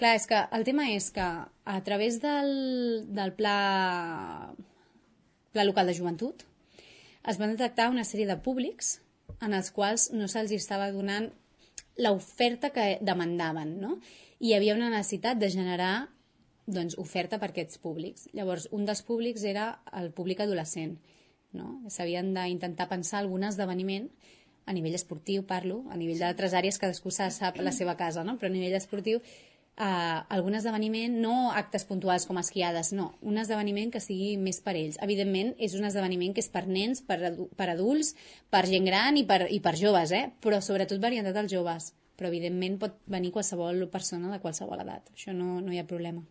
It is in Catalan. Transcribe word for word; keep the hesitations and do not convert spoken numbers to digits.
Clar, és que el tema és que a través del, del pla, pla local de joventut es van detectar una sèrie de públics en els quals no se'ls estava donant l'oferta que demandaven, no? I hi havia una necessitat de generar doncs, oferta per a aquests públics. Llavors, un dels públics era el públic adolescent, no? S'havien d'intentar pensar algun esdeveniment a nivell esportiu, parlo, a nivell d'altres àrees cadascú sap la seva casa, no? Però a nivell esportiu Uh, algun esdeveniment, no actes puntuals com esquiades, no, un esdeveniment que sigui més per ells. Evidentment és un esdeveniment que és per nens, per, adu per adults, per gent gran i per, i per joves, eh? Però sobretot orientat als joves, però evidentment pot venir qualsevol persona de qualsevol edat, això no, no hi ha problema.